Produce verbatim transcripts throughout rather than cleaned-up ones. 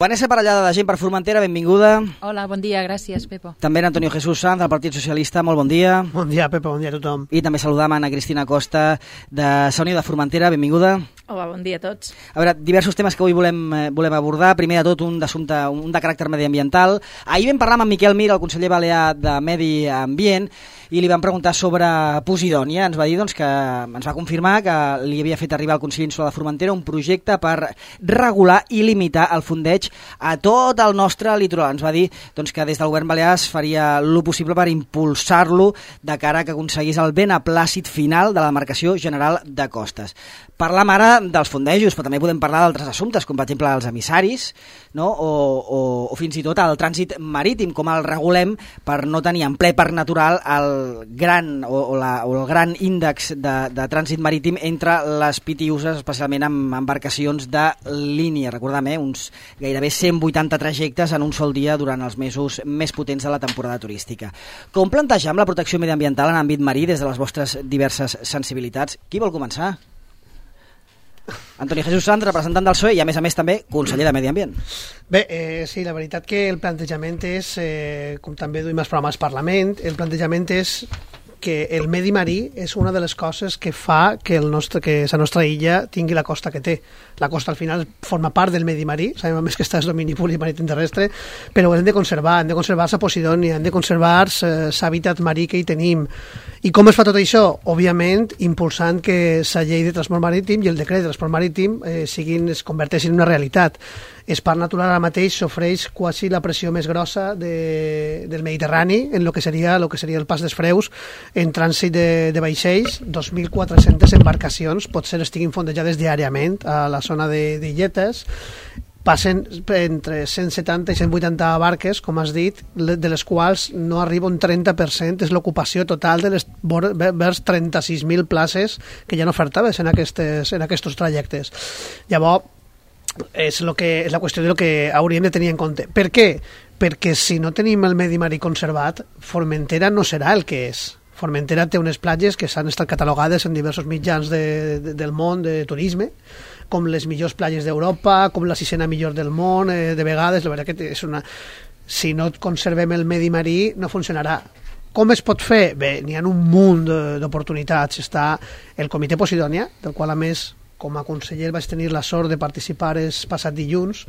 Vanessa Parellada, de Gent per Formentera, benvinguda. Hola, bon dia, gràcies, Pepo. També en Antonio Jesús Sanz, del Partit Socialista, molt bon dia. Bon dia, Pepo, bon dia a tothom. I també saludam a Ana Cristina Costa, de Sònia de Formentera, benvinguda. Hola, bon dia a tots. A veure, diversos temes que avui volem, volem abordar. Primer de tot, un d'assumpte, un de caràcter mediambiental. Ahir vam parlar amb en Miquel Mir, el conseller balear de Medi Ambient, i li vam preguntar sobre Posidònia. Ens va dir doncs, que ens va confirmar que li havia fet arribar al Consell Insular de Formentera un projecte per regular i limitar el fondeig a tot el nostre litoral. Ens va dir doncs, que des del govern balear es faria el possible per impulsar-lo de cara a que aconseguís el beneplàcit final de la demarcació general de costes. Parlam ara dels fondejos, però també podem parlar d'altres assumptes, com per exemple els emissaris, no? o, o, o fins i tot el trànsit marítim, com el regulem per no tenir en ple parc natural el gran, o, o, la, o el gran índex de, de trànsit marítim entre les pitiuses, especialment amb embarcacions de línia. Recordem, eh, uns gairebé cent vuitanta trajectes en un sol dia durant els mesos més potents de la temporada turística. Com plantegem la protecció mediambiental en àmbit marí des de les vostres diverses sensibilitats? Qui vol començar? Antonio Jesús Sanz, representant del P S O E i a més a més també conseller de Medi Ambient. Bé, eh, sí, la veritat que el plantejament és, eh, com també duim els programes Parlament, el plantejament és que el medi marí és una de les coses que fa que, el nostre, que la nostra illa tingui la costa que té. La costa al final forma part del medi marí, sabem més que està en domini públic marítim terrestre, però hem de conservar, hem de conservar la Posidònia, hem de conservar l'hàbitat marí que hi tenim. I com es fa tot això? Òbviament, impulsant que la llei de transport marítim i el decret de transport marítim eh, siguin, es converteixin en una realitat. El parc natural ara mateix s'ofreix quasi la pressió més grossa de, del Mediterrani en el que seria, lo que seria el Pas dels Freus en trànsit de, de vaixells. dos mil quatre-centes embarcacions potser estiguin fondejades diàriament a la zona d'illetes. Passen entre cent setanta i cent vuitanta barques, com has dit, de les quals no arriba un trenta per cent, és l'ocupació total de les vers trenta-sis mil places que ja no ofertaves en aquests en aquests trajectes. Llavors, és, lo que, és la qüestió de lo que hauríem de tenir en compte. Per què? Perquè si no tenim el medi marí conservat, Formentera no serà el que és. Formentera té unes platges que s'han estat catalogades en diversos mitjans de, de, del món de turisme, com les millors platges d'Europa, com la sisena millor del món, eh, de vegades. La veritat que és una... Si no conservem el medi marí, no funcionarà. Com es pot fer? Bé, n'hi ha un munt d'oportunitats. Està el Comitè Posidònia, del qual, a més, com a conseller vaig tenir la sort de participar el passat dilluns.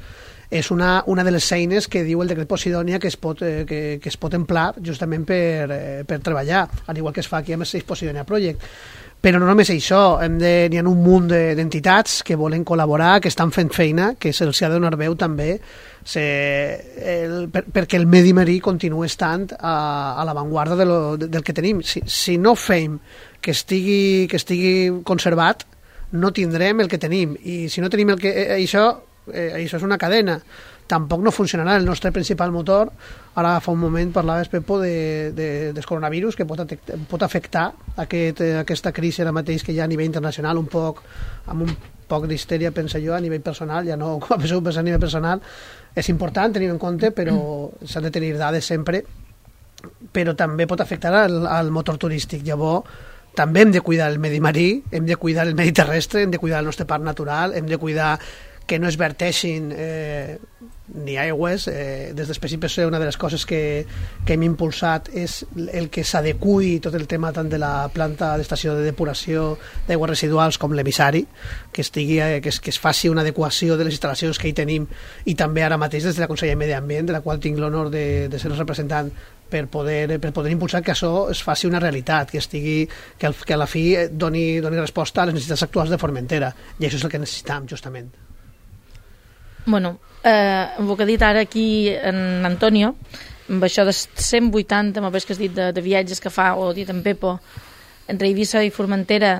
És una, una de les eines que diu el decret Posidònia que es pot, eh, que, que es pot emplar justament per, eh, per treballar, al igual que es fa aquí amb el Safe Posidònia Project. Però no només això, hem de, n'hi ha un munt d'entitats que volen col·laborar, que estan fent feina, que se'ls ha de donar veu també, se, el, per, perquè el medi marí continuï estant a, a l'avantguarda de lo, de, del que tenim. Si, si no fem que estigui, que estigui conservat, no tindrem el que tenim, i si no tenim el que, eh, això, eh, això és una cadena. Tampoc no funcionarà el nostre principal motor. Ara fa un moment parlaves, Pepo, de, de, del coronavirus, que pot, pot afectar aquest, aquesta crisi ara mateix que hi ha a nivell internacional, un poc, amb un poc d'histèria, penso jo, a nivell personal, ja no com a a nivell personal. És important tenir en compte, però s'han de tenir dades sempre, però també pot afectar al, al motor turístic. Llavors, també hem de cuidar el medi marí, hem de cuidar el medi terrestre, hem de cuidar el nostre parc natural, hem de cuidar que no es verteixin eh, ni aigües. Eh, des d'Espècie P S O E una de les coses que, que hem impulsat és el que s'adequi tot el tema tant de la planta d'estació de depuració d'aigües residuals com l'emissari, que, estigui, eh, que, es, que es faci una adequació de les instal·lacions que hi tenim, i també ara mateix des de la Conselleria de Medi Ambient, de la qual tinc l'honor de, de ser el representant, per poder, per poder impulsar que això es faci una realitat, que estigui, que, el, que a la fi doni, doni resposta a les necessitats actuals de Formentera, i això és el que necessitam justament. Bueno, eh, el que ha dit ara aquí en Antonio, amb això de cent vuitanta, amb el que has dit de, de viatges que fa, o dit en Pepo, entre Eivissa i Formentera,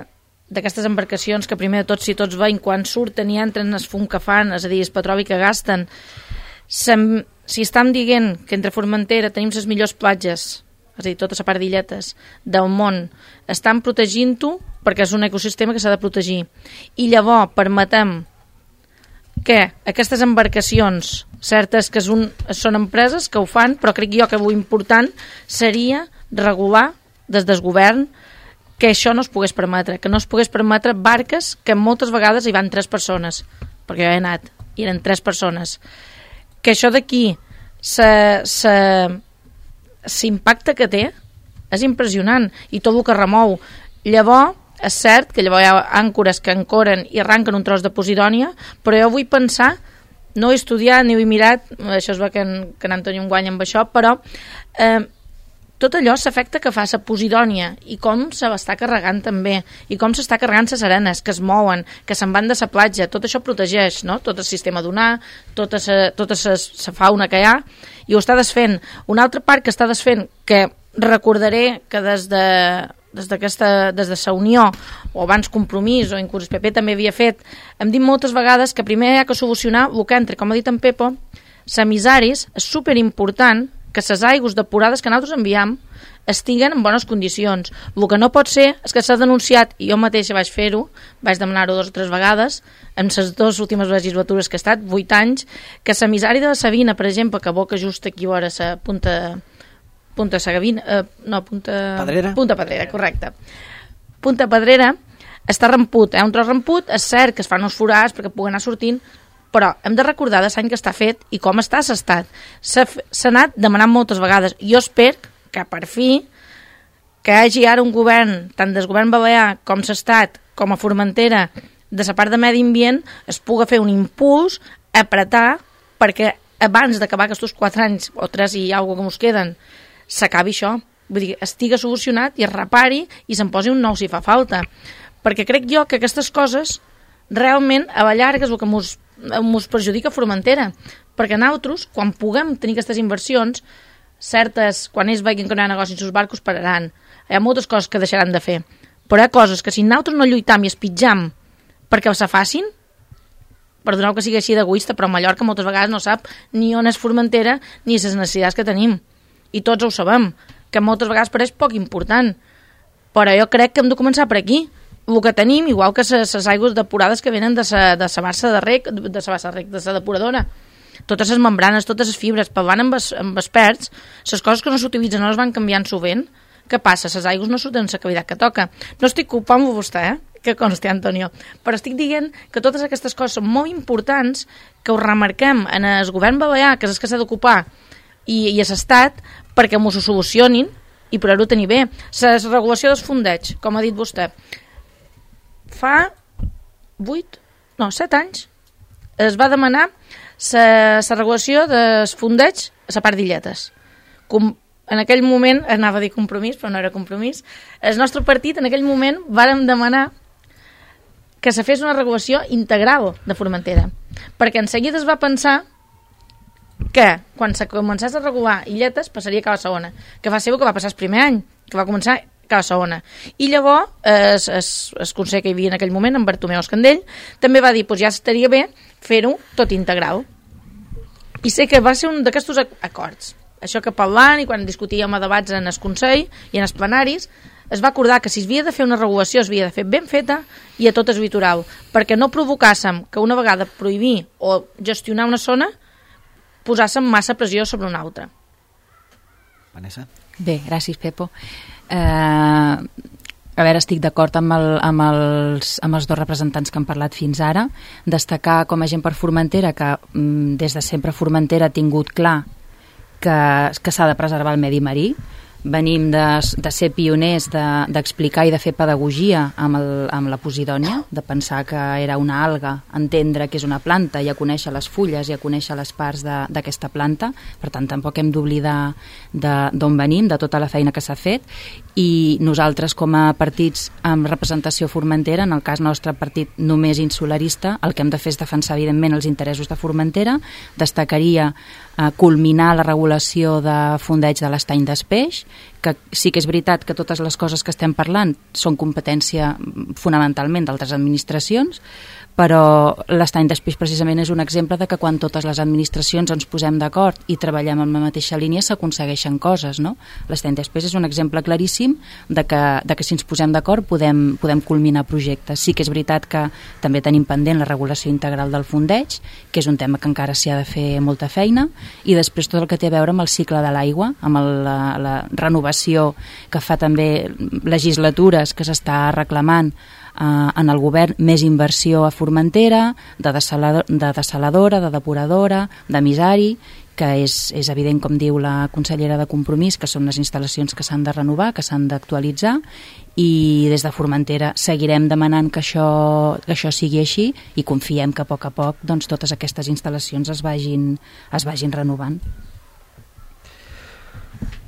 d'aquestes embarcacions que primer de tot, si tots veiem, quan surten i entren es fum que fan, és a dir, el petroli que gasten. Sem, si estem dient que entre Formentera tenim les millors platges, és a dir, tota la part d'illetes del món, estan protegint-ho perquè és un ecosistema que s'ha de protegir. I llavors permetem que aquestes embarcacions, certes que és un, són empreses que ho fan, però crec jo que l'important seria regular des del govern que això no es pogués permetre, que no es pogués permetre barques que moltes vegades hi van tres persones, perquè jo he anat, i eren tres persones. que això d'aquí l'impacte que té és impressionant, i tot el que remou. Llavors, és cert que llavors hi ha àncores que ancoren i arranquen un tros de Posidònia, però jo vull pensar, no he estudiat ni ho he mirat, això es va que en, que en Antoni em guanya amb això, però eh, tot allò s'afecta que fa la Posidònia i com se l'està carregant també, i com s'està carregant les arenes, que es mouen, que se'n van de la platja, tot això protegeix, no? Tot el sistema dunar, tota la tota fauna que hi ha, i ho està desfent. Una altra part que està desfent, que recordaré que des de des d'aquesta, des de la Unió, o abans Compromís, o inclús el P P també havia fet, hem dit moltes vegades que primer hi ha que solucionar el que entre, com ha dit en Pepo, semissaris, és superimportant que les aigües depurades que nosaltres enviam estiguen en bones condicions. El que no pot ser és que s'ha denunciat, i jo mateixa vaig fer-ho, vaig demanar-ho dues o tres vegades, en les dues últimes legislatures que he estat, vuit anys, que l'emissari de la Sabina, per exemple, que boca just aquí a la punta... Punta Sagavina, eh, no, Punta... Pedrera. Punta Pedrera, correcte. Punta Pedrera està ramput, eh? Un tros ramput, és cert que es fan uns forats perquè pugui anar sortint, però hem de recordar de l'any que està fet i com està s'estat. S'ha anat demanant moltes vegades. Jo espero que per fi que hi hagi ara un govern, tant del govern balear com s'estat, com a Formentera, de la part de medi ambient, es pugui fer un impuls, apretar, perquè abans d'acabar aquests quatre anys, o tres i alguna que ens queden, s'acabi això, vull dir, estiga solucionat i es repari i se'n posi un nou si fa falta, perquè crec jo que aquestes coses realment a la llarga és el que mos, mos perjudica Formentera, perquè nosaltres, quan puguem tenir aquestes inversions, certes, quan ells vegin que no hi ha negoci en els barcos, pararan. Hi ha moltes coses que deixaran de fer, però hi ha coses que si nosaltres no lluitam i espitjam perquè se facin, perdoneu que sigui així d'egoista, però Mallorca moltes vegades no sap ni on és Formentera ni les necessitats que tenim. I tots ho sabem, que moltes vegades pareix poc important. Però jo crec que hem de començar per aquí. El que tenim, igual que les aigües depurades que venen de la de sa bassa de rec, de sa bassa de rec, de la depuradora. Totes les membranes, totes les fibres, parlant amb, es, amb experts, les coses que no s'utilitzen no les van canviant sovint. Què passa? Les aigües no surten en la cavitat que toca. No estic culpant vostè, eh? Que consti, Antonio. Però estic dient que totes aquestes coses són molt importants, que ho remarquem en el govern balear, que és el que s'ha d'ocupar, i, i a l'estat, perquè m'ho solucionin i poder-ho tenir bé. La regulació dels fondeig, com ha dit vostè, fa vuit, no, set anys es va demanar la regulació dels fondeig a la part d'Illetes. Com en aquell moment, anava a dir Compromís, però no era Compromís, el nostre partit en aquell moment vàrem demanar que se fes una regulació integral de Formentera, perquè en seguida es va pensar que quan se començés a regular Illetes passaria a Cala Segona, que va ser el que va passar el primer any, que va començar a Cala Segona. I llavors es, es, el conseller que hi havia en aquell moment, en Bartomeu Escandell, també va dir, pues ja estaria bé fer-ho tot integral. I sé que va ser un d'aquests acords. Això que parlant i quan discutíem a debats en el Consell i en els plenaris, es va acordar que si es havia de fer una regulació es havia de fer ben feta i a tot el litoral, perquè no provocàssim que una vegada prohibir o gestionar una zona posàssim massa pressió sobre una altra. Vanessa? Bé, gràcies, Pepo. Eh, a veure, estic d'acord amb, el, amb, els, amb els dos representants que han parlat fins ara. Destacar com a gent per Formentera que mm, des de sempre Formentera ha tingut clar que, que s'ha de preservar el medi marí. Venim de, de ser pioners d'explicar de, i de fer pedagogia amb, el, amb la Posidònia, de pensar que era una alga, entendre que és una planta i a conèixer les fulles i a conèixer les parts d'aquesta planta. Per tant, tampoc hem d'oblidar d'on venim, de tota la feina que s'ha fet, i nosaltres com a partits amb representació formentera, en el cas nostre partit només insularista, el que hem de fer és defensar evidentment els interessos de Formentera. Destacaria eh, culminar la regulació de fondeig de l'estany d'Espeix, que sí que és veritat que totes les coses que estem parlant són competència fonamentalment d'altres administracions, però l'estany d'Espeix precisament és un exemple de que quan totes les administracions ens posem d'acord i treballem en la mateixa línia s'aconsegueixen coses, no? L'estany d'Espeix és un exemple claríssim de que, de que si ens posem d'acord podem, podem culminar projectes. Sí que és veritat que també tenim pendent la regulació integral del fondeig, que és un tema que encara s'hi ha de fer molta feina, i després tot el que té a veure amb el cicle de l'aigua, amb el, la, la renovació que fa també legislatures que s'està reclamant en el govern més inversió a Formentera, de, desalador, de desaladora, de depuradora, d'emissari, que és, és evident, com diu la consellera de Compromís, que són les instal·lacions que s'han de renovar, que s'han d'actualitzar, i des de Formentera seguirem demanant que això, que això sigui així i confiem que a poc a poc doncs, totes aquestes instal·lacions es vagin, es vagin renovant.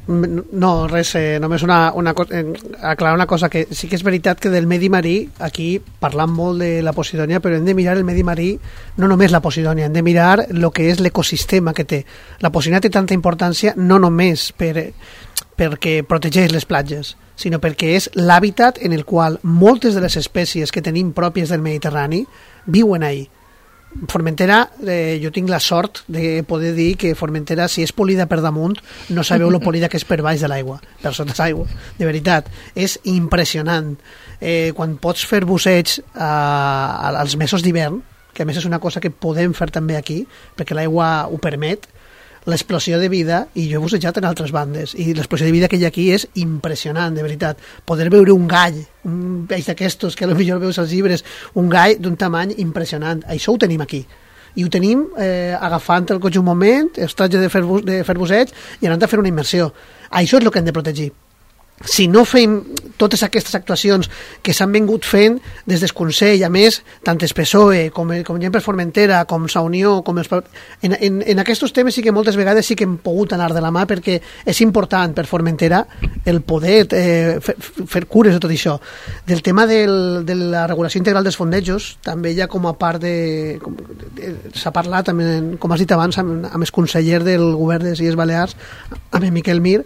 No, res, eh, només una, una, eh, aclarar una cosa, que sí que és veritat que del medi marí, aquí parlant molt de la Posidònia, però hem de mirar el medi marí, no només la Posidònia, hem de mirar el que és l'ecosistema que té. La Posidònia té tanta importància no només per, perquè protegeix les platges, sinó perquè és l'hàbitat en el qual moltes de les espècies que tenim pròpies del Mediterrani viuen ahí. Formentera, eh, jo tinc la sort de poder dir que Formentera, si és polida per damunt, no sabeu lo polida que és per baix de l'aigua, per sota l'aigua, de veritat, és impressionant. Eh, quan pots fer busseig eh, als mesos d'hivern, que a més és una cosa que podem fer també aquí, perquè l'aigua ho permet, l'explosió de vida, i jo he bussejat en altres bandes, i l'explosió de vida que hi ha aquí és impressionant, de veritat. Poder veure un gall, un peix d'aquestos que potser veus als llibres, un gall d'un tamany impressionant, això ho tenim aquí. I ho tenim eh, agafant el cotxe un moment, els tratges de fer, de fer busseig i anant a fer una immersió. Això és el que hem de protegir. Si no fem totes aquestes actuacions que s'han vingut fent des del Consell, a més, tant el P S O E com, com gent per Formentera, com Sa Unió, com els... en, en, en aquests temes sí que moltes vegades sí que hem pogut anar de la mà, perquè és important per Formentera el poder eh, fer, fer cures de tot això. Del tema del, de la regulació integral dels fondejos, també ja com a part de... de s'ha parlat, amb, com has dit abans, amb, amb el conseller del govern de les Illes Balears, amb el Miquel Mir,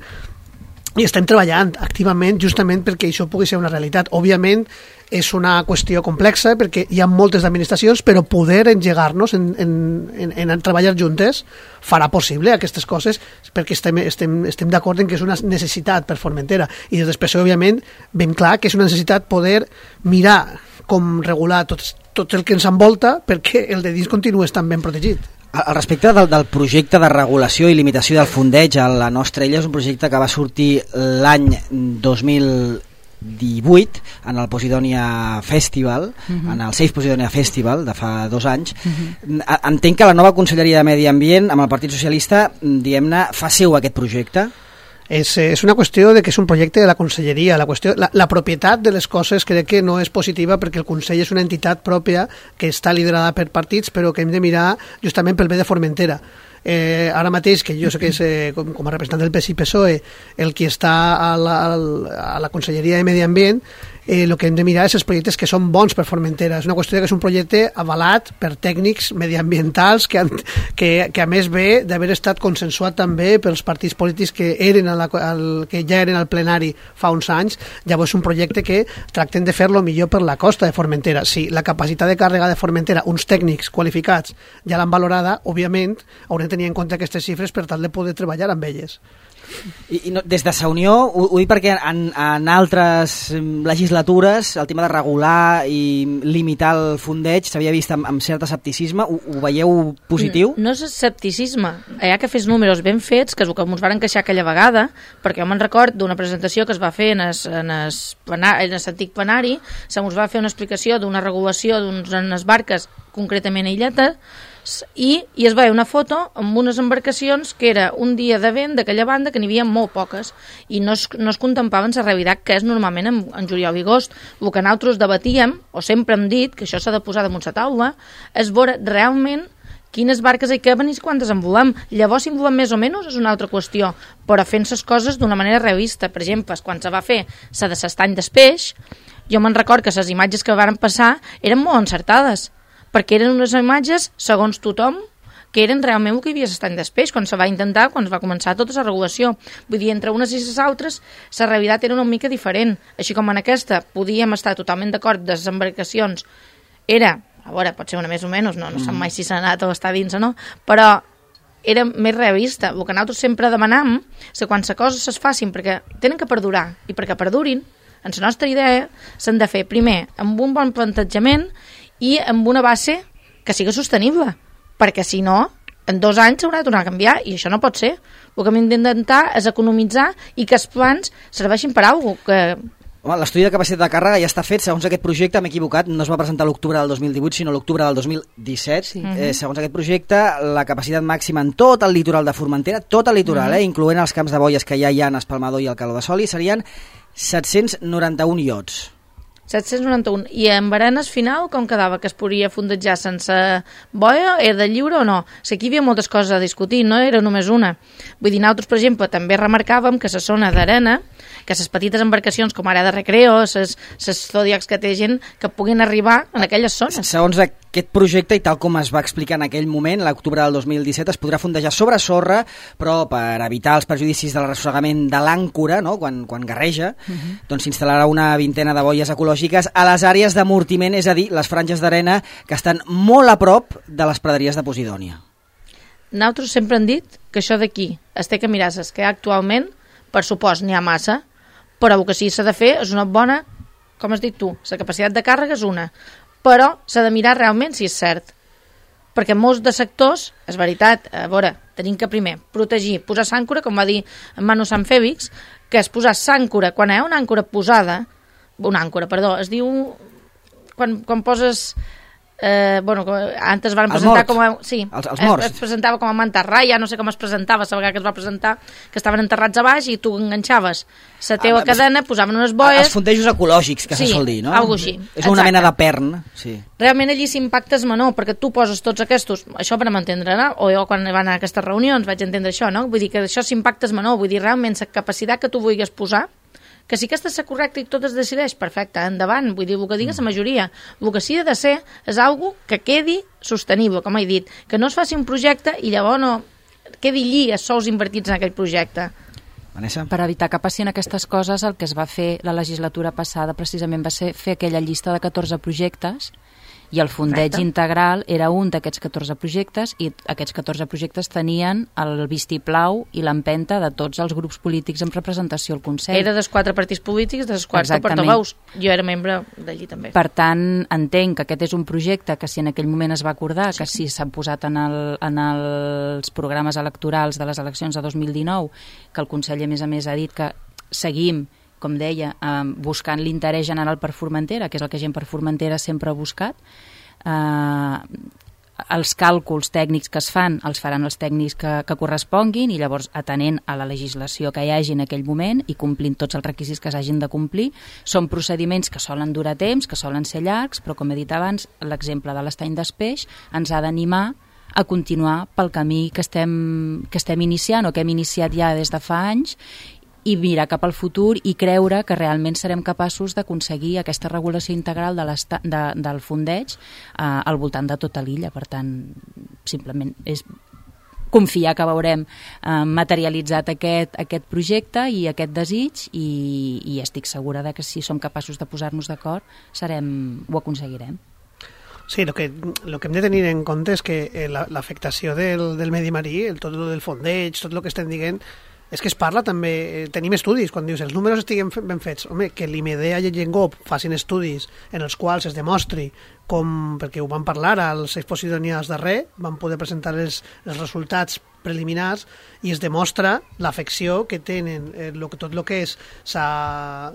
i estem treballant activament justament perquè això pugui ser una realitat. Òbviament és una qüestió complexa perquè hi ha moltes administracions, però poder engegar-nos en, en, en, en treballar juntes farà possible aquestes coses, perquè estem, estem, estem d'acord en que és una necessitat per Formentera. I després, òbviament, ben clar que és una necessitat poder mirar com regular tot, tot el que ens envolta perquè el de dins continua estant ben protegit. Al respecte del, del projecte de regulació i limitació del fondeig a la nostra illa, és un projecte que va sortir l'any dos mil divuit en el Posidònia Festival, uh-huh. en el Safe Posidònia Festival de fa dos anys. Uh-huh. Entenc que la nova Conselleria de Medi Ambient amb el Partit Socialista, diguem-ne, fa seu aquest projecte? És, és una qüestió de que és un projecte de la conselleria. La, qüestió, la, la propietat de les coses crec que no és positiva perquè el Consell és una entitat pròpia que està liderada per partits, però que hem de mirar justament pel bé de Formentera. Eh, ara mateix, que jo sé que és eh, com, com a representant del P S I P S O E el qui està a la, a la Conselleria de Medi Ambient, eh, el que hem de mirar és els projectes que són bons per Formentera. És una qüestió que és un projecte avalat per tècnics mediambientals que, han, que, que a més ve d'haver estat consensuat també pels partits polítics que, eren a la, al, que ja eren al plenari fa uns anys. Llavors és un projecte que tracten de fer-lo millor per la costa de Formentera. Si la capacitat de càrrega de Formentera, uns tècnics qualificats ja l'han valorada, òbviament haurem de tenir en compte aquestes xifres per tal de poder treballar amb elles. I, i no, des de Sa Unió, ho, ho dic perquè en, en altres legislatures el tema de regular i limitar el fondeig s'havia vist amb, amb cert escepticisme. Ho, ho veieu positiu? No, no és escepticisme. Hi ha que fes números ben fets, que és el que ens van queixar aquella vegada, perquè jo me'n record d'una presentació que es va fer en es, en es, en es antic plenari, se mos va fer una explicació d'una regulació d'unes barques concretament a Illeta, i, i es va veure una foto amb unes embarcacions que era un dia de vent d'aquella banda que n'hi havia molt poques i no es, no es contemplaven la realitat que és normalment en, en juliol i agost. El que nosaltres debatíem, o sempre hem dit que això s'ha de posar damunt la taula, és veure realment quines barques hi caben i quantes en volem. Llavors, si en volem més o menys, és una altra qüestió, però fent les coses d'una manera realista. Per exemple, quan se va fer la de l'estany d'Espeix, jo me'n record que les imatges que van passar eren molt encertades, perquè eren unes imatges, segons tothom, que eren realment el que hi havia l'estany d'Espeix, quan se va intentar, quan es va començar tota la regulació. Vull dir, entre unes i les altres, la realitat era una mica diferent. Així com en aquesta podíem estar totalment d'acord de les embarcacions. Era, a veure, pot ser una més o menys, no, no sap mai si s'ha anat o està dins o no, però era més realista. El que nosaltres sempre demanam és que quan les coses es facin perquè tenen que perdurar, i perquè perdurin, en la nostra idea s'han de fer primer amb un bon plantejament i amb una base que sigui sostenible, perquè si no, en dos anys s'haurà de tornar a canviar i això no pot ser. El que hem d'intentar és economitzar i que els plans serveixin per a alguna cosa. Que... Home, l'estudi de capacitat de càrrega ja està fet. Segons aquest projecte, m'he equivocat, no es va presentar l'octubre del dos mil divuit, sinó l'octubre del dos mil disset. Sí. Eh, segons aquest projecte, la capacitat màxima en tot el litoral de Formentera, tot el litoral, uh-huh. eh, incloent els camps de boies que ja hi ha en Espalmador i el Caló de Soli, serien set-cents noranta-un iots. set-cents noranta-un. I en Barenes final com quedava? Que es podia fondejar sense boia? Era de lliure o no? O sigui, aquí hi havia moltes coses a discutir, no era només una. Vull dir, nosaltres, per exemple, també remarcàvem que la zona d'arena, que les petites embarcacions com ara de recreo, les zodiacs que té gent, que puguin arribar en aquelles zones. Segons aquest projecte, i tal com es va explicar en aquell moment, l'octubre del dos mil disset, es podrà fondejar sobre sorra, però per evitar els perjudicis del ressorgament de l'àncora, no? quan, quan garreja, uh-huh. doncs s'instal·larà una vintena de boies ecològiques a les àrees d'amortiment, és a dir, les franges d'arena que estan molt a prop de les praderies de Posidònia. Nosaltres sempre hem dit que això d'aquí es té que mirar, és que actualment, per supost, n'hi ha massa, però el que sí s'ha de fer és una bona, com has dit tu, la capacitat de càrrega és una, però s'ha de mirar realment si és cert. Perquè molts de sectors, és veritat, a veure, tenim que primer protegir, posar s'àncora, com va dir en Manu Sanfèvix, que és posar s'àncora, quan hi ha una àncora posada, una àncora, perdó, es diu, quan, quan poses... Eh, bueno, antes van presentar com a... Sí, els, els morts. Es, es presentava com a mantarraya, no sé com es presentava, la vegada que es va presentar, que estaven enterrats a baix i tu enganxaves la teva ah, cadena, posaven unes boies... Els fondejos ecològics, que sí, se sol dir, no? Sí, alguna així. És una Exacte. Mena de pern, sí. Realment allí l'impacte és menor, perquè tu poses tots aquests... Això per m'entendre, no? O jo quan van a aquestes reunions vaig entendre això, no? Vull dir que això l'impacte és menor, vull dir, realment la capacitat que tu vulguis posar, que si aquesta és correcta i tot es decideix, perfecte, endavant, vull dir, el que digues la majoria. El que sí ha de ser és algo que quedi sostenible, com he dit, que no es faci un projecte i llavors no quedi allí els sous invertits en aquell projecte. Vanessa? Per evitar que passin aquestes coses, el que es va fer la legislatura passada precisament va ser fer aquella llista de catorze projectes i el fondeig Correcte. Integral era un d'aquests catorze projectes i aquests catorze projectes tenien el vistiplau i l'empenta de tots els grups polítics amb representació al Consell. Era dels quatre partits polítics, dels quatre portaveus. Jo era membre d'allí també. Per tant, entenc que aquest és un projecte que si en aquell moment es va acordar, sí, que si s'ha posat en, el, en els programes electorals de les eleccions de dos mil dinou, que el Consell a més a més ha dit que seguim, com deia, eh, buscant l'interès general per Formentera, que és el que gent per Formentera sempre ha buscat. Eh, els càlculs tècnics que es fan els faran els tècnics que, que corresponguin i llavors atenent a la legislació que hi hagi en aquell moment i complint tots els requisits que s'hagin de complir. Són procediments que solen durar temps, que solen ser llargs, però com he dit abans, l'exemple de l'estany d'Espeix ens ha d'animar a continuar pel camí que estem, que estem iniciant o que hem iniciat ja des de fa anys i mirar cap al futur i creure que realment serem capaços d'aconseguir aquesta regulació integral de de, del fondeig eh, al voltant de tota l'illa. Per tant, simplement és confiar que veurem eh, materialitzat aquest, aquest projecte i aquest desig i, i estic segura de que si som capaços de posar-nos d'acord serem, ho aconseguirem. Sí, lo que, lo que hem de tenir en compte és que l'afectació del, del medi marí, el, tot el del fondeig, tot el que estem dient, és que es parla també, tenim estudis, quan dius els números estiguen ben fets, home, que l'IMEDEA i el GENGOP facin estudis en els quals es demostri com, perquè ho van parlar als expositonians darrer, van poder presentar els, els resultats preliminars i es demostra l'afecció que tenen eh, lo, tot el que és sa,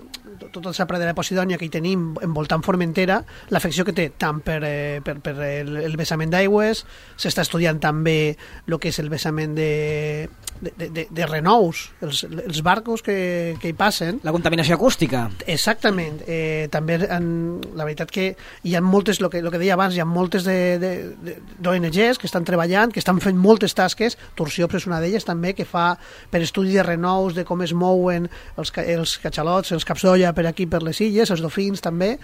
tota la pradera de Posidònia que hi tenim envoltant Formentera, l'afecció que té tant per, eh, per, per el, el vessament d'aigües, s'està estudiant també el que és el vessament de, de, de, de renous, els, els barcos que, que hi passen. La contaminació acústica. Exactament. Eh, també en, la veritat que hi ha moltes, el que, lo que deia abans, hi ha moltes d'O N Ges que estan treballant, que estan fent moltes tasques. Torsiops és una d'elles també, que fa per estudi de renous, de com es mouen els, els catxalots, els caps d'olla per aquí, per les illes, els dofins també,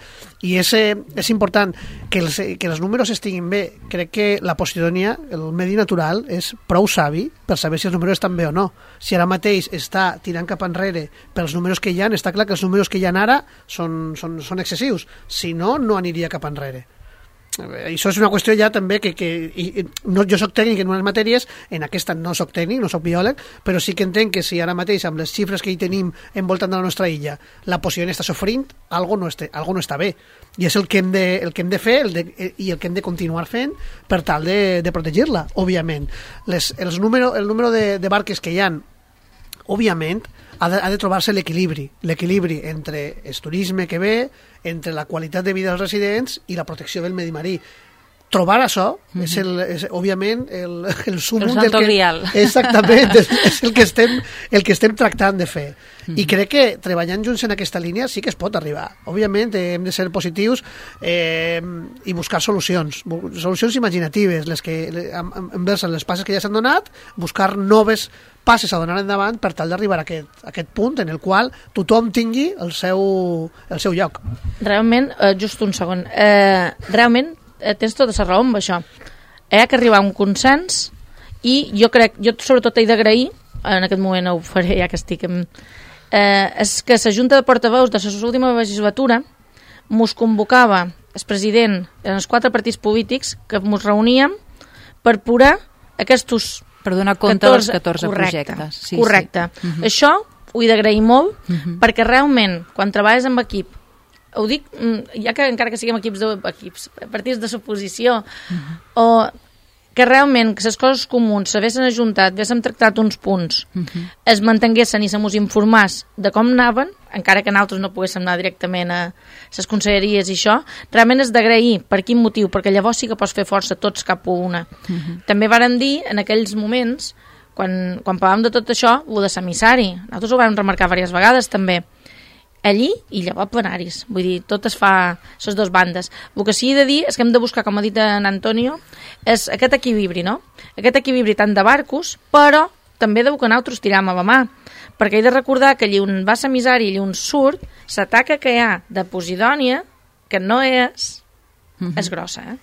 i és, és important que els, que els números estiguin bé. Crec que la Posidònia, el medi natural, és prou savi per saber si els números estan bé o no. Si ara mateix està tirant cap enrere pels números que hi ha, està clar que els números que hi ha ara són, són, són excessius. Si no, no aniria cap enrere. Això és una qüestió ja també que, que i, no, jo soc tècnic en unes matèries, en aquesta no soc tècnic, no soc biòleg, però sí que entenc que si ara mateix amb les xifres que hi tenim envoltant de la nostra illa la Posidònia està sofrint, algo no, este, algo no està bé, i és el que hem de, el que hem de fer el de, i el que hem de continuar fent per tal de, de protegir-la, òbviament. Les, els número, el número de, de barques que hi ha òbviament, ha de, ha de trobar-se l'equilibri, l'equilibri entre el turisme que ve, entre la qualitat de vida dels residents i la protecció del medi marí. Trobar això mm-hmm. és, el, és òbviament el, el sumum del que... Grial. Exactament, és, és el, que estem, el que estem tractant de fer. Mm-hmm. I crec que treballant junts en aquesta línia sí que es pot arribar. Òbviament hem de ser positius eh, i buscar solucions, solucions imaginatives, les que envers les passes que ja s'han donat, buscar noves passes a donar endavant per tal d'arribar a aquest, a aquest punt en el qual tothom tingui el seu, el seu lloc. Realment, eh, just un segon, eh, realment tens tota la raó amb això. Hi ha que arribar a un consens i jo crec, jo sobretot he d'agrair, en aquest moment ho faré ja que estic en, eh, és que la Junta de Portaveus de la última legislatura mos convocava el president en els quatre partits polítics que mos reuníem per posar aquests per donar compte catorze, dels catorze correcte, projectes. Sí, correcte. Sí. Uh-huh. Això ho he d'agrair molt uh-huh. perquè realment quan treballes amb equip, ho dic, ja que encara que siguem equips, de, equips partits de suposició, uh-huh. o que realment que les coses comuns s'haguessin ajuntat, haguéssim tractat uns punts, uh-huh. es mantenguessin i se mos informàs de com anaven, encara que nosaltres no poguéssim anar directament a les conselleries i això, realment és d'agrair per quin motiu, perquè llavors sí que pots fer força tots cap a una. Uh-huh. També varen dir en aquells moments, quan, quan parlàvem de tot això, el de l'emissari, nosaltres ho vam remarcar diverses vegades també, allí i llavors plenaris, vull dir, tot es fa les dues bandes. El que sí he de dir és que hem de buscar, com ha dit en Antonio, és aquest equilibri, no? Aquest equilibri tant de barcos, però també de que nosaltres tiram a la mà, perquè he de recordar que allí on va l'emissari i allí on surt, l'ataca que hi ha de Posidònia, que no és, uh-huh. és grossa, eh?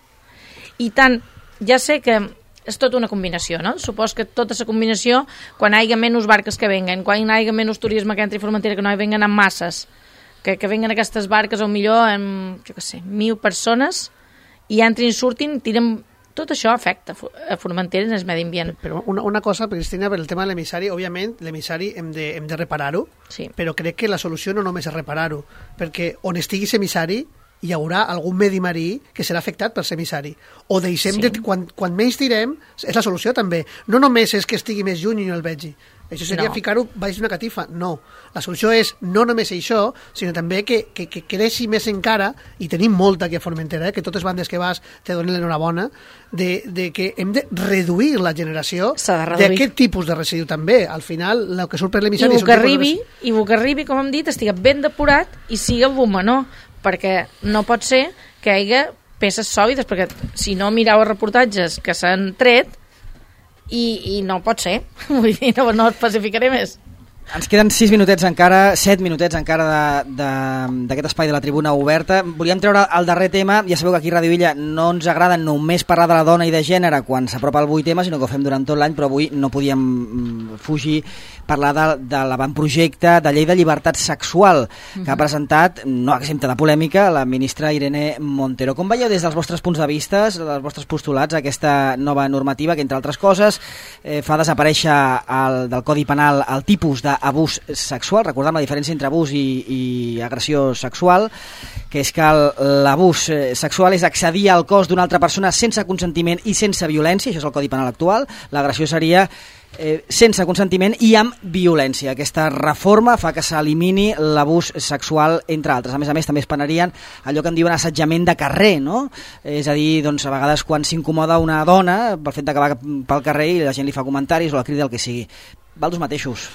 I tant, ja sé que és tota una combinació, no? Supos que tota la combinació, quan hi hagi menys barques que venguen, quan hi hagi menys turisme que entri a Formentera, que no hi venguen amb masses, que, que venguen aquestes barques, o millor, amb, jo què sé, mil persones, i entrin i surtin, tiren... Tot això afecta a Formentera en el medi ambient. Però una, una cosa, Cristina, per el tema de l'emissari, òbviament, l'emissari hem de, hem de reparar-ho, sí. Però crec que la solució no només és reparar-ho, perquè on estigui l'emissari hi haurà algun medi marí que serà afectat per l'emissari. O deixem sí. de... Quan, quan menys tirem, és la solució també. No només és que estigui més lluny i no el vegi. Això seria no. ficar-ho baix d'una catifa. No. La solució és no només això, sinó també que, que, que creixi més encara, i tenim molta aquí a Formentera, eh, que totes bandes que vas te donen l'enhorabona, de, de que hem de reduir la generació d'aquest tipus de residu també. Al final, el que surt per l'emissari... I el que arribi, i el que arribi, com hem dit, estigui ben depurat i sigui el menor, perquè no pot ser que hi hagi peces sòlides, perquè si no mireu els reportatges que s'han tret, i, i no pot ser, vull dir, no, no especificaré més. Ens queden sis minutets encara, set minutets encara d'aquest espai de la tribuna oberta. Volíem treure el darrer tema. Ja sabeu que aquí a Ràdio Illa no ens agrada només parlar de la dona i de gènere quan s'apropa el vuit tema, sinó que ho fem durant tot l'any, però avui no podíem fugir parlar de, de l'avantprojecte de llei de llibertat sexual que uh-huh. ha presentat, no exempta de polèmica, la ministra Irene Montero. Com veieu des dels vostres punts de vista, dels vostres postulats, aquesta nova normativa que, entre altres coses, eh, fa desaparèixer el, del Codi Penal el tipus de abús sexual, recordem la diferència entre abús i, i agressió sexual, que és que l'abús sexual és accedir al cos d'una altra persona sense consentiment i sense violència, això és el Codi Penal actual. L'agressió seria eh, sense consentiment i amb violència. Aquesta reforma fa que s'elimini l'abús sexual, entre altres. A més a més, també es penarien allò que en diuen assetjament de carrer, no? És a dir, doncs, a vegades quan s'incomoda una dona pel fet de que va pel carrer i la gent li fa comentaris o la crida, el que sigui. Valdos mateixos.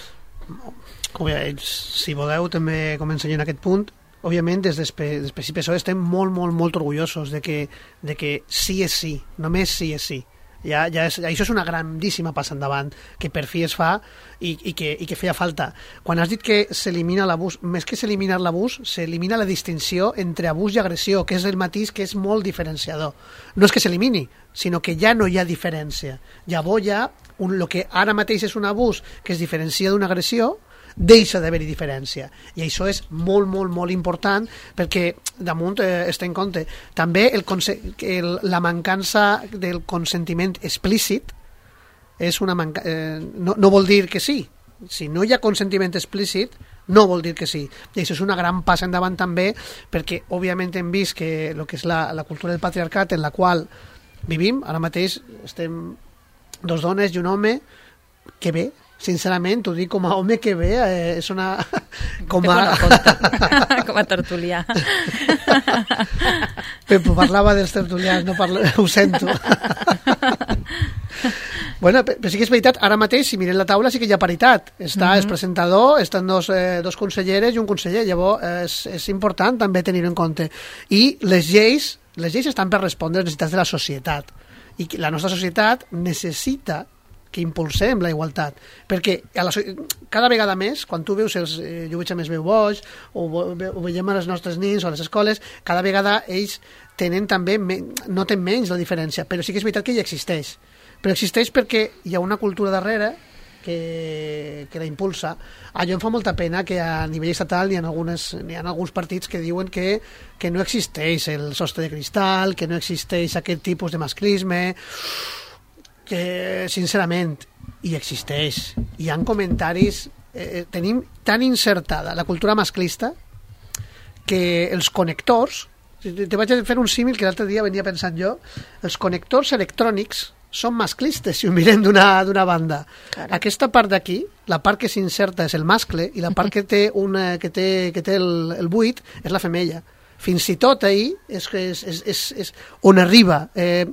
Si voleu també començar en aquest punt. Òbviament des del P S I P S O E estem molt, molt, molt orgullosos de que, de que sí és sí, només sí és sí. Ja, ja és, això és una grandíssima passa endavant que per fi es fa i, i, que, i que feia falta. Quan has dit que s'elimina l'abús, més que s'eliminar l'abús, s'elimina la distinció entre abús i agressió, que és el matís que és molt diferenciador. No és que s'elimini, sinó que ja no hi ha diferència. Llavors ja, un, el que ara mateix és un abús que es diferencia d'una agressió, deixa d'haver-hi diferència, i això és molt, molt, molt important, perquè damunt eh, es té en compte també el, el, la mancança del consentiment explícit és una manca, eh, no, no vol dir que sí. Si no hi ha consentiment explícit no vol dir que sí, i això és una gran passa endavant també, perquè òbviament hem vist que el que és la, la cultura del patriarcat en la qual vivim, ara mateix estem dos dones i un home, que bé, sincerament, t'ho dic com a home que ve, eh, és una... Com a... com a tertulià. Pepo, parlava dels tertulians, no parla... ho sento. Bueno, però sí que és veritat, ara mateix, si mirem la taula, sí que hi ha paritat. Està mm-hmm. el presentador, estan dos, eh, dos conselleres i un conseller. Llavors, és, és important també tenir-ho en compte. I les lleis, les lleis estan per respondre a les necessitats de la societat. I la nostra societat necessita que impulsem la igualtat, perquè a la, cada vegada més, quan tu veus els, eh, jo veig a més veu boig, o, o veiem a les nostres nins o a les escoles, cada vegada ells tenen també, noten menys la diferència, però sí que és veritat que ja existeix. Però existeix perquè hi ha una cultura darrere que, que la impulsa. Allò em fa molta pena que a nivell estatal hi ha, algunes, hi ha alguns partits que diuen que, que no existeix el sostre de cristal, que no existeix aquest tipus de masclisme, que sincerament hi existeix. Hi ha comentaris, eh, tenim tan insertada la cultura masclista que els connectors, te vaig a fer un símil que l'altre dia venia pensant jo, els connectors electrònics són masclistes, si ho mirem d'una banda. Carai. Aquesta part d'aquí, la part que s'inserta és el mascle i la part que té, una, que té, que té el, el buit és la femella. Fins i tot ahir és, és, és, és, és on arriba. Eh,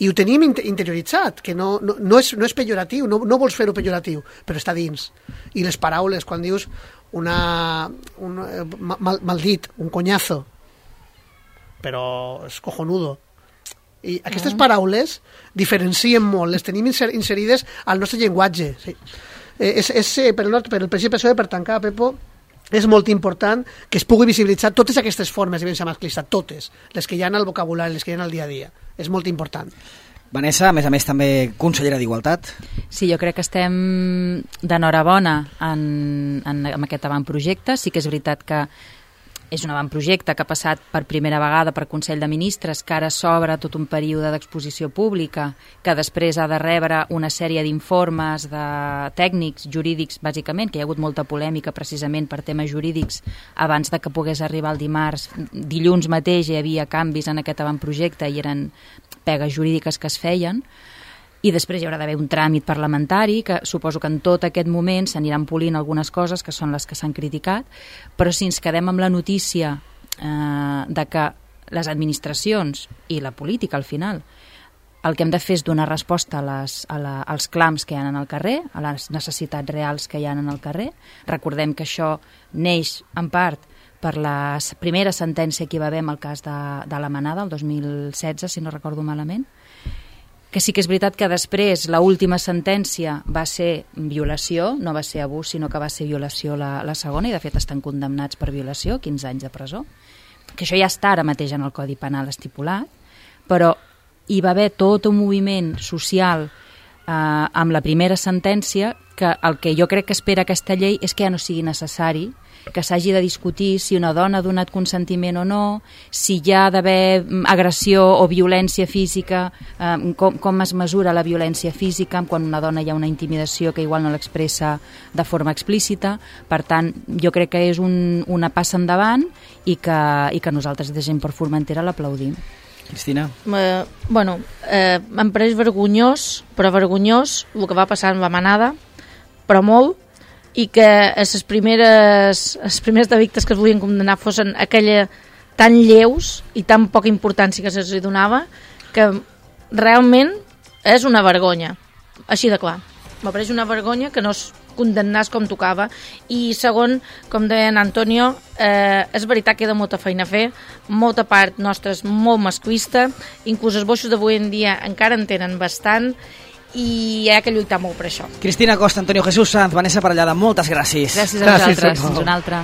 I ho tenim interioritzat, que no, no, no, és, no és pejoratiu, no, no vols fer-ho pejoratiu, però està dins. I les paraules, quan dius una, un, mal, maldit, un conyazo, però és cojonudo. I aquestes paraules diferencien molt, les tenim inserides al nostre llenguatge. Sí. Eh, és, és, per, el, per el P S P, per tancar, Pepo, és molt important que es pugui visibilitzar totes aquestes formes de violència masclista, totes, les que hi ha al vocabulari, les que hi ha al dia a dia. És molt important. Vanessa, a més a més, també consellera d'Igualtat. Sí, jo crec que estem d'enhorabona en, en, en aquest avantprojecte. Sí que és veritat que és un avantprojecte que ha passat per primera vegada per Consell de Ministres, que ara s'obre tot un període d'exposició pública, que després ha de rebre una sèrie d'informes de tècnics, jurídics, bàsicament, que hi ha hagut molta polèmica precisament per temes jurídics abans de que pogués arribar el dimarts. Dilluns mateix hi havia canvis en aquest avantprojecte i eren pegues jurídiques que es feien. I després hi haurà d'haver un tràmit parlamentari, que suposo que en tot aquest moment s'aniran polint algunes coses que són les que s'han criticat, però si ens quedem amb la notícia eh, de que les administracions i la política al final el que hem de fer és donar resposta a les, a la, als clams que hi ha en el carrer, a les necessitats reals que hi ha en el carrer. Recordem que això neix en part per la primera sentència que hi va haver en el cas de, de la Manada, el dos mil setze, si no recordo malament, que sí que és veritat que després l'última sentència va ser violació, no va ser abús, sinó que va ser violació la, la segona, i de fet estan condemnats per violació, quinze anys de presó, que això ja està ara mateix en el Codi Penal estipulat, però hi va haver tot un moviment social eh, amb la primera sentència que el que jo crec que espera aquesta llei és que ja no sigui necessari que s'hagi de discutir si una dona ha donat consentiment o no, si hi ha d'haver agressió o violència física, eh, com, com es mesura la violència física quan una dona hi ha una intimidació que igual no l'expressa de forma explícita. Per tant, jo crec que és un, una passa endavant i que, i que nosaltres de Gent per Formentera l'aplaudim. Cristina? Eh, bueno, eh, em pareix vergonyós, però vergonyós el que va passar amb la Manada, però molt, i que les primeres, les primeres delictes que es volien condemnar fossin aquella tan lleus i tan poca importància que se'ls donava, que realment és una vergonya, així de clar. M'apareix una vergonya que no es condemnés com tocava. I segon, com deia en Antonio, eh, és veritat que queda molta feina a fer, molta part nostra és molt masclista, inclús els boixos d'avui en dia encara en tenen bastant, i hi ha que lluitar molt per això. Cristina Costa, Antonio Jesús Sanz, Vanessa Parellada, moltes gràcies. Gràcies a vosaltres. Fins una altra.